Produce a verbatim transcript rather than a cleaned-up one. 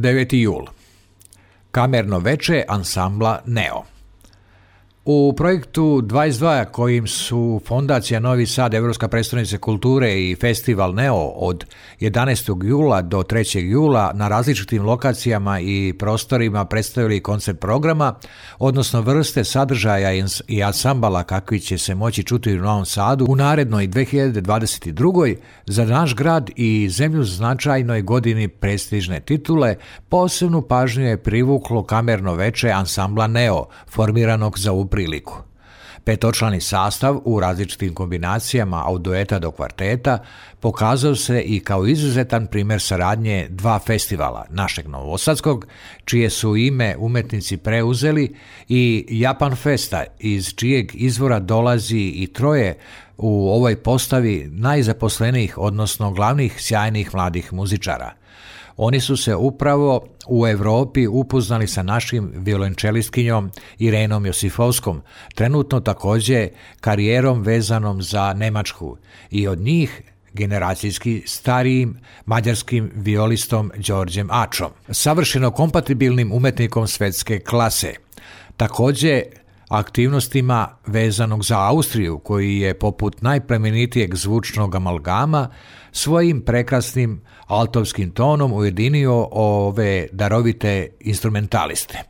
deveti jul. Kamerno veče ansambla Neo. U projektu dvadeset dva kojim su Fondacija Novi Sad, Europska prestolnica kulture i festival Neo od jedanaestog jula do trećeg jula na različitim lokacijama i prostorima predstavili koncept programa, odnosno vrste sadržaja i ansambala kakvi će se moći čuti u Novom Sadu u narednoj dve hiljade dvadeset druge. Za naš grad i zemlju značajnoj godini prestižne titule posebnu pažnju je privuklo kamerno veče ansambla Neo, formiranog za upravo priliku. Petočlani sastav u različitim kombinacijama od dueta do kvarteta pokazao se i kao izuzetan primjer saradnje dva festivala, našeg novosadskog, čije su ime umetnici preuzeli, i Japan Festa, iz čijeg izvora dolazi i troje u ovoj postavi najzaposlenijih, odnosno glavnih sjajnih mladih muzičara. Oni su se upravo u Europi upoznali sa našim violončelistkinjom Irenom Josifovskom, trenutno također karijerom vezanom za Nemačku, i od njih generacijski starijim mađarskim violistom Đorđem Ačom, savršeno kompatibilnim umetnikom svetske klase. Također aktivnostima vezanog za Austriju, koji je poput najplemenitijeg zvučnog amalgama svojim prekrasnim altovskim tonom ujedinio ove darovite instrumentaliste.